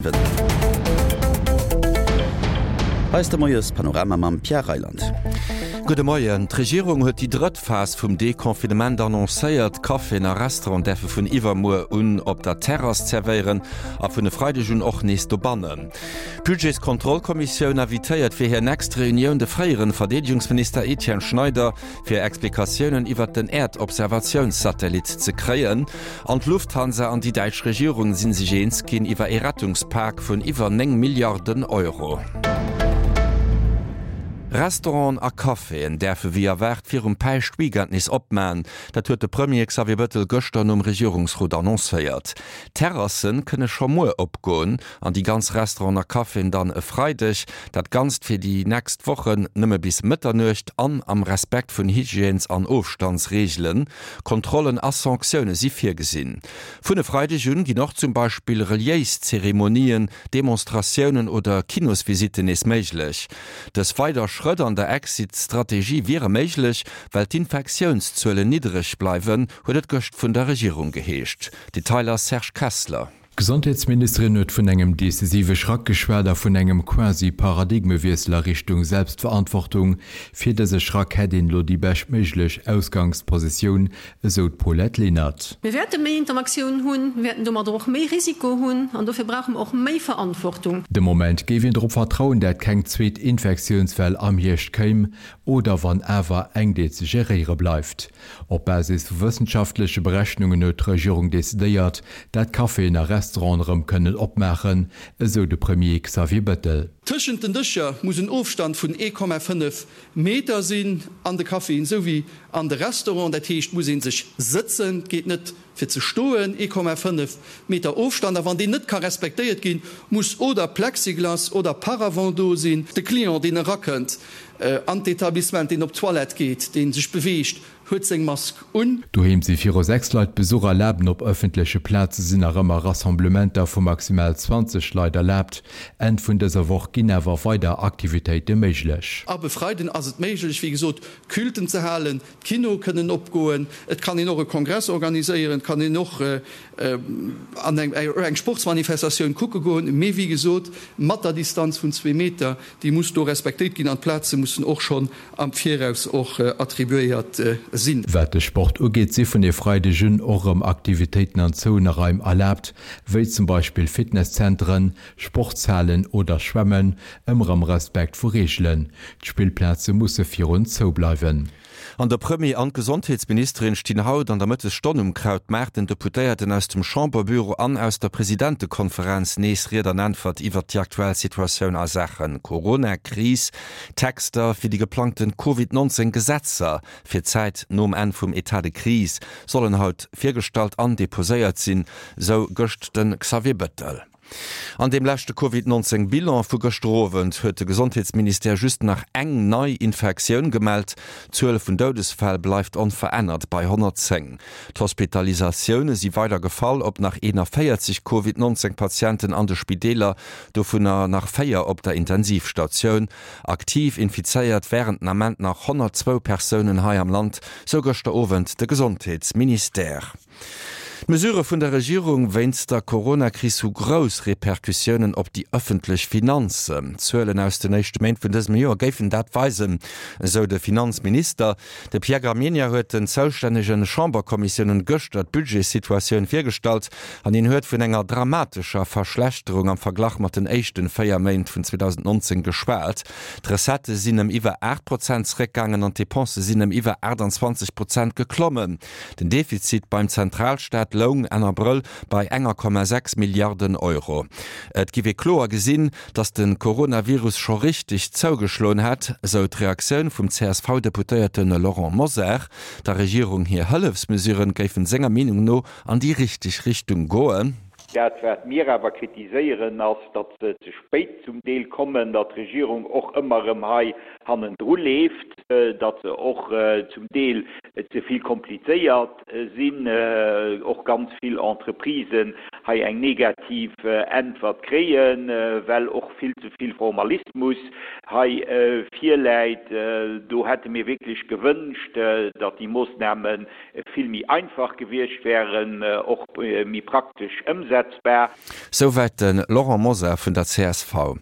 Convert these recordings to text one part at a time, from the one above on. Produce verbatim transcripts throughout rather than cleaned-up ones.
Hei ass de Moiespanorama mam Pierre Reyland. Gudde Moien. D'Regierung huet déi drëtt Phas vum Deconfinement annoncéiert. Caféen a Restauranten däerfe vun iwwermuer un op der Terrass zerwéieren a vun e Freideg un och nees dobannen. D'Budgetskontrollkommissioun invitéiert fir hir nächst Reunioun de fréieren Verdeedegungsminister Etienne Schneider, fir Explikatiounen iwwert den Äerdobservatiounssatellit ze kréien. An d'Lufthansa an déi däitsch Regierung si sech eens ginn iwwer ee Rettungspak vun iwwer néng Milliarden Euro. Restauranten a Caféen däerfe wéi erwaart virum Päischtweekend nees opmaen. Dat huet de Premier Xavier Bëttel gëschter nom Regierungsrot annoncéiert. D'Terrasse kënne scho muer opgoen an déi ganz Restauranten a Caféen dann e Freideg. Dat Ganzt fir déi nächst Wochen nëmme bis Mëtternuecht an am Respekt vun Hygiènes an Ofstandsreegelen. Kontrollen a Sanktioune si virgesinn. Vun e Freideg un ginn och zum Beispill reliéis Zeremonien, Demonstratiounen oder Kinosvisitten nees méiglech. Dës weider Schrëtt an der Exit-Strategie wiere méiglech, well d'Infektiounszuelen niddereg bleiwen, huet et gëscht vun der Regierung geheescht. Detailer Serge Kessler. D'Gesondheetsministerin huet vun engem decisive Schrack geschwat a vun engem quasi Paradigmewiessel a Richtung Selbstverantwortung. Fir dëse Schrack hätt een elo déi beschtméiglech Ausgangspositioun, esou d'Paulette Lenert. Mir wäerte méi Interaktioun hunn, mir wäerten domadder och méi Risiko hunn an dofir brauche mer och méi Verantwortung. De Moment géif een drop vertrauen, dat keng zweet Infektiounswell am Hierscht kéim, oder wann awer eng, déi ze geréiere bleift. Op Basis vu wëssenschaftleche Berechnungen huet d'Regierung decidéiert, dat Caféen a Restauranten erëm kënnen opmaachen, esou de Premier Xavier Bettel. Tëschent den Dëscher muss en Ofstand vun ee Komma fënnef Meter sinn, an de Caféen esou wéi an de Restauranten. Dat heescht, et muss ee sech sëtzen, et geet net fir ze stoen, ee Komma fënnef Meter Ofstand. A wann deen net ka respektéiert ginn, muss oder Plexiglas oder Paravent do sinn. De Client, deen erakënnt an d'Etablissement, deen op d'Toilette geet, dee sech beweegt, huet seng Mask un. Doheem si viru sechs Leit Besuch erlaabt an op ëffentleche Plaze sinn nach ëmmer Rassemblementer vu maximal zwanzeg Leit erlaabt. Enn vun dëser Woch ginn awer weider Aktivitéite méiglech. Ab e Freiden ass et méiglech, wéi gesot, Culten ze halen, d'Kinoe kënnen opgoen, et kann een och e Kongress organiséieren, et kann een och an eng Sportsmanifestatioun kucke goen, mee wéi gesot, mat der Distanz vun zwee Meter, déi muss do respektéiert ginn an d'Plaze mussen och schonn am Viraus och attribuéiert sinn. Wat de Sport ugeet, si vun e Freideg un och erëm Aktivitéiten an zouene Raim erlaabt, wéi zum Beispill Fitnesszenteren, Sportshalen oder Schwämmen, ëmmer am Respekt vu Reegelen. D'Spillplaze musse virun zou bleiwen. An de Premier an d'Gesondheetsministerin stinn haut an der Mëttesstonn um Krautmaart den Deputéierten aus dem Chamberbüro an aus der Presidentekonferenz nees Ried an Äntwert iwwert déi aktuell Situatioun a Saache Corona-Kris. Texter fir déi geplangte Covid neunzéng Gesetzer fir d'Zäit nom Enn vum Etat de crise sollen haut virgestallt an deposéiert sinn, sou gëscht de Xavier Bettel. An deem leschte Covid neunzéng Bilan vu gëschter Owend huet de Gesondheetsministère just nach eng nei Infektioun gemellt. D'Zuel vun Doudesfäll bleift onverännert bei honnertzéng. D'Hospitalisatioune si weider gefall op nach eenanvéierzeg Covid neunzéng Patienten an de Spideeler, dovunner nach véier op der Intensivstatioun. Aktiv infizéiert wären den Ament nach honnertzwou Persounen hei am Land, sou gëschter Owend de Gesondheetsministère. D'Mesurë vun der Regierung wéinst der Coronakris hu grouss Repercussiounen op déi ëffentlech Finanzen. D'Zuelen aus den éischte Méint vun dësem Joer géifen dat weisen, esou de Finanzminister. De Pierre Gramegna huet den zoustännege Chamberkommissiounen gëschter d'Budgetssituatioun virgestallt an hien huet vun enger dramatescher Verschlechterung am Verglach mat den éischte véier Méint vun zweedausendnonzéng geschwat. D'Recettë sinn ëm iwwer aacht Prozent zeréckgaangen an d'Depensë sinn ëm iwwer aachtanzwanzeg Prozent geklommen. Den Defizit beim Zentralstaat loung Enn Abrëll bei enger Komma sechs Milliarden Euro. Et giff ee kloer gesinn, datt de Coronavirus scho richteg zougeschloen hätt, esou d'Reaktioun vum C S V-Deputéierte Laurent Mosar. Der Regierung hir Hëllefsmesuren géifen senger Meenung no an déi richteg Richtung goen. Dat, wat mir awer kritiséieren, ass, datt se ze spéit zum Deel kommen, datt d'Regierung och ëmmer erëm hei hannendru leeft. datt se och zum Deel ze vill komplizéiert sinn, och ganz vill Entreprisen hei eng negativ Äntwert kréien, well och vill ze vill Formalismus hei virläit. Do hätte mir wierklech gewënscht, datt déi Moossname vill méi einfach gewiescht wären, och méi praktesch ëmsetzbar. Souwäit de Laurent Mosar vun der csv.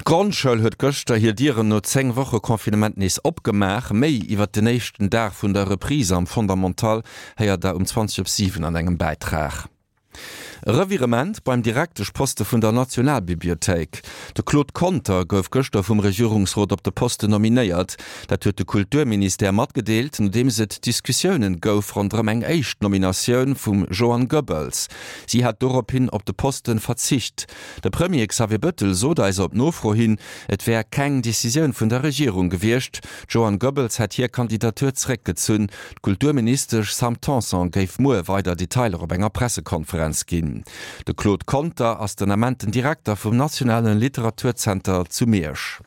D'Grondschoul huet gëschter hir Dieren no zéng Woche Confinement nees opgemaach. Méi iwwert den éischten Dag vun der Reprise am Fondamental héiert der um zwanzeg op siwen an engem Bäitrag. E Revirement beim Direkteschposte vun der Nationalbibliothéik. De Claude Conter gouf gëschter vum Regierungsrot op de Posten nominéiert. Dat huet de Kulturministère matgedeelt, nodeems et Diskussiounen gouf ronderëm eng éischt Nominatioun vum Joanne Goebbels. Si hat dorophin op de Posten verzicht. De Premier Xavier Bettel sot eis op Nofro hin, et wär keng Decisioun vun der Regierung gewiescht. D'Joanne Goebbels hätt hir Kandidatur zeréckgezunn. D'Kulturministesch Sam Tanson géif muer weider Detailer op enger Pressekonferenz ginn. De Claude Conter ass den Ament den Direkter vum Nationalen Literaturzenter zu Miersch.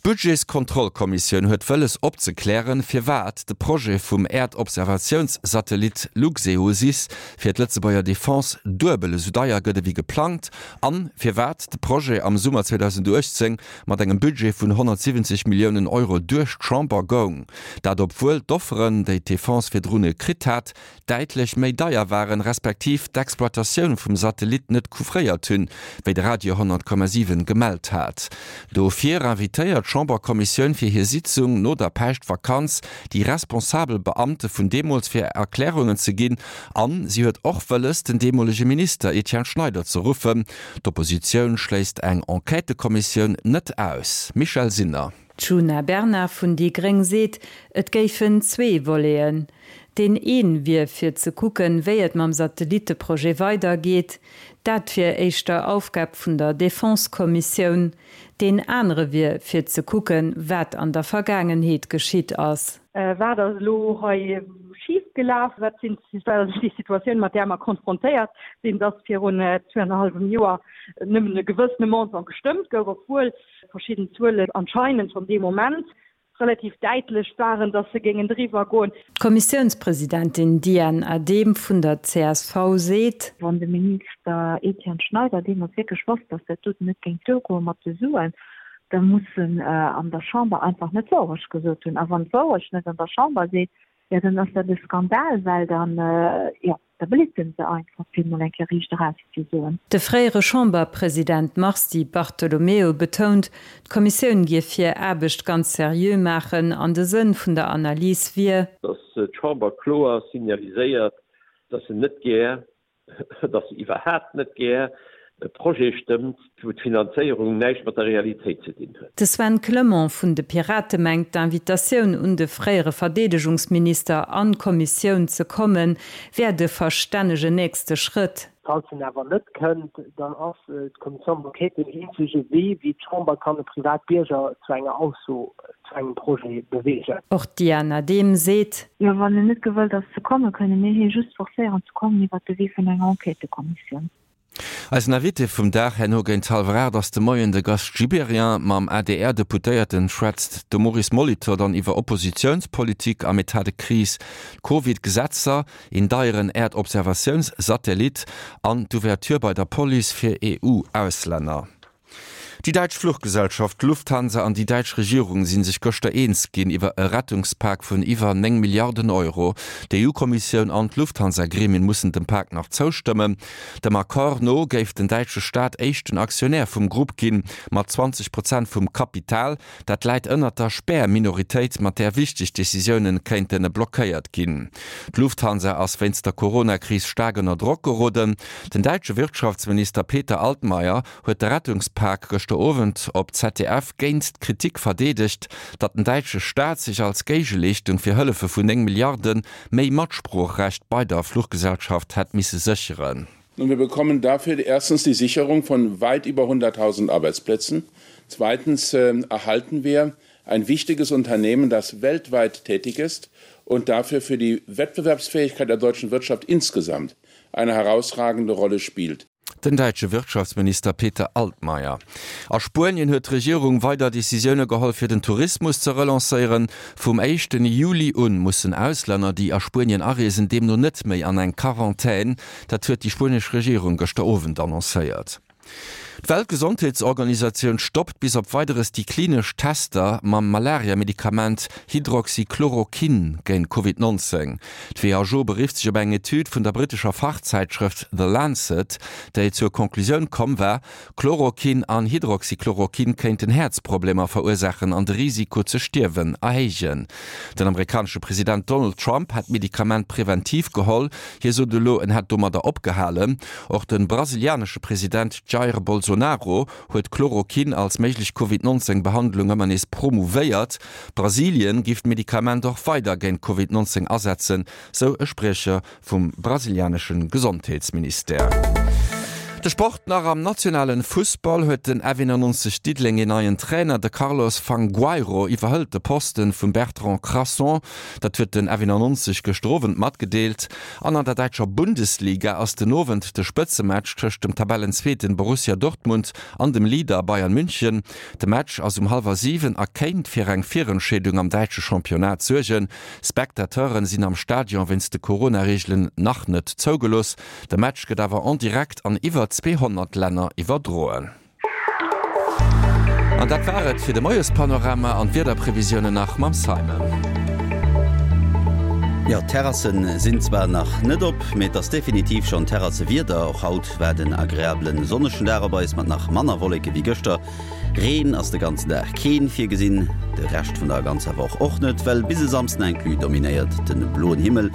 D'Budgetskontrollkommissioun huet wëlles opzeklären, firwat de Projet vum Äerdobservatiounssatellit Luxeosys fir d'Lëtzebuerger Defense duebel esou deier gëtt ewéi geplangt an firwat de Projet am Summer zweedausendachtzéng mat engem Budget vun honnertsiwwenzeg Milliounen Euro duerch d'Chamber goung. Dat obwuel d'Offeren, déi d'Defense virdrun kritt hat, däitlech méi deier waren, respektiv d'Exploitatioun vum Satellit net couvréiert hunn, wéi de Radio honnert Komma siwen gemellt hat. Dofir invitéiert d'Chamberkommissioun fir hir Sitzung no der Päischtvakanz déi responsabel Beamte vun deemools fir Erklärungen ze ginn an si huet och wëlles, den deemolege Minister Etienne Schneider ze ruffen. D'Oppositioun schléisst eng Enquêtëkommissioun net aus. Michèle Sinner. D'Djuna Bernard vun déi gréng seet, et géifen zwee Voleten. Deen een wier fir ze kucken, wéi et mam Satellitteprojet weidergeet. Dat wier éischter Aufgab vun der Defense-Kommissioun. Deen anere wier fir ze kucken, wat an der Vergaangenheet geschitt ass. Wat ass elo hei schif gelaf? Wat sinn, wat ass déi Situatioun, mat där mer konfrontéiert sinn, dass virun zwee an e hallwem Joer nëmmen e gewëssene Montant gestëmmt gouf, obwuel verschidden Zuelen anscheinend schonn dee Moment relativ däitlech waren, dass se géingen driwwer goen. D'Kommissiounspresidentin Diane Adehm vun der csv seet. Wann de Minister Etienne Schneider deemools wierklech wosst, dass dat doten net géing duergoe mat de Suen, da muss en an der Chamber einfach net d'Wourecht gesot hunn. A wann d'Wourecht net an der Chamber seet, jo dann ass dat e Skandal, well dann, jo, da belitt en se einfach, fir emol eng Kéier riicht eraus ze soen. De fréiere Chamberpresident Mars Di Bartolomeo betount, d'Kommissioun géif hir Aarbecht ganz seriö maachen an de Sënn vun der Analys wier, Datt d'Chamber kloer signaliséiert, datt se net gär, datt se iwwerhaapt net gär e Projet stëmmt, wou d'Finanzéierung näischt mat der Realitéit ze dinn huet. De Sven Clement vun de Pirate mengt, d'Invitatioun un de fréiere Verdeedegungsminister an d'Kommissioun ze kommen, wär de verstännegen nächste Schrëtt. Falls en awer net kënnt, dann ass d'Commission d'enquête deen eenzege Wee, wéi d'Chamber kann e Privatbierger zu enger Ausso zu engem Projet beweegen. Och d'Diane Adehm seet. Jo, wann en net gewëllt ass ze kommen, kënne mir hie just forcéieren ze kommen iwwert de Wee vun enger Enquêtëkommissioun. Eisen Invité vum Dag herno géint hallwer aacht ass de Moien de Gast Gibéryen. Mam A D R-Deputéierten schwätzt de Maurice Molitor dann iwwer Oppositiounspolitik am Etat de crise, d'Covid-Gesetzer, een deieren Äerdobservatiounssatellit an d'Ouverture bei der Police fir E U-Auslänner. Déi däitsch Fluchgesellschaft Lufthansa an déi däitsch Regierung si sech gëschter eens ginn iwwer e Rettungspak vun iwwer néng Milliarden Euro. D'E U-Kommissioun an d'Lufthansa-Gremien mussen dem Pak nach zoustëmmen. Dem Accord no géif den däitsche Staat éischten Aktionär vum Grupp ginn, mat zwanzeg Prozent vum Kapital. Dat läit ënnert der Spär-Minoritéit, mat där wichteg Decisioune kéinte blockéiert ginn. D'Lufthansa ass wéinst der Corona-Kris staark ënner Drock geroden. Den däitsche Wirtschaftsminister Peter Altmaier huet de Rettungspak gëschter Owend op Z D F géint d'Kritik verdeedegt, datt den däitsche Staat sech als Géigeleeschtung fir Hëllefe vun néng Milliarde méi Matsproochrecht bei der Fluchgesellschaft hätt misse sécheren. Nun, wir bekommen dafür erstens die Sicherung von weit über hunderttausend Arbeitsplätzen. Zweitens äh, erhalten wir ein wichtiges Unternehmen, das weltweit tätig ist und dafür für die Wettbewerbsfähigkeit der deutschen Wirtschaft insgesamt eine herausragende Rolle spielt. Den däitsche Wirtschaftsminister Peter Altmaier. A Spuenien huet d'Regierung weider Decisioune geholl fir den Tourismus ze relancéieren. Vum éischten Juli un mussen Auslänner, déi a Spuenien areesen, deemno net méi an eng Quarantän. Dat huet déi spuenesch Regierung gëschter Owend annoncéiert. D'Weltgesondheetsorganisatioun stoppt bis op Weideres déi klinesch Tester mam Malaria-Medikament Hydroxychloroquine géint Covid nonzéng. D'WHO berifft sech op eng Etüd vun der brittescher Fachzäitschrëft The Lancet, déi zur Conclusioun komm war, Chloroquine an Hydroxychloroquine kéinten Häerzproblemer verursaachen an de Risiko ze stierwen erhéijen. Den amerikanesche President Donald Trump hätt d'Medikament preventiv geholl, hie sot elo, en hätt domadder opgehalen. Och de brasilianesche President Jair Bolsonaro huet Chloroquin als méiglech Covid nonzéng Behandlung ëmmer nees promouvéiert. Brasilien giff d'Medikament och weider géint Covid nonzéng asetzen, sou e Spriecher vum brasilianesche Gesondheetsministère. De Sport nach, Am nationalen Fussball huet den F eenannonzeg Diddeleng een neien Trainer. De Carlos Fangueiro iwwerhëlt de Posten vum Bertrand Crasson. Dat huet den F eenannonzeg gëschter Owend matgedeelt. An an der däitscher Bundesliga ass den Owend de Spëtzematch tëscht dem Tabellenzweeten Borussia Dortmund an dem Leader Bayern München. De Match ass um hallwer siwen a kéint fir eng Virentscheedung am däitsche Championnat suergen. Spectateuren sinn am Stadion wéinst de Corona-Reegelen nach net zougelooss. De Match gëtt awer en direct an iwwer zweehonnert Länner iwwerdroen. An dat war et fir de Moiespanorama an d'Wiederprevisiounen nach mam Simon. Jo, d'Terrassen sinn zwar nach net op, mee et ass definitiv schonn Terrassewieder. Och haut waart en agreablen sonnegen Dag op eis mat nach manner Wolleke wéi gëschter. Reen ass de ganzen Dag keen virgesinn, de Rescht vun der ganzer Woch och net, well bis e Samsden inclus dominéiert de bloen Himmel.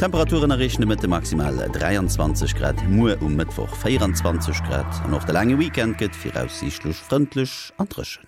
D'Temperaturen erreechen de Mëtte maximal dräianzwanzeg Grad, muer um Mëttwoch véieranzwanzeg Grad an och de laange Weekend gëtt viraussiichtlech frëndlech an dréchen.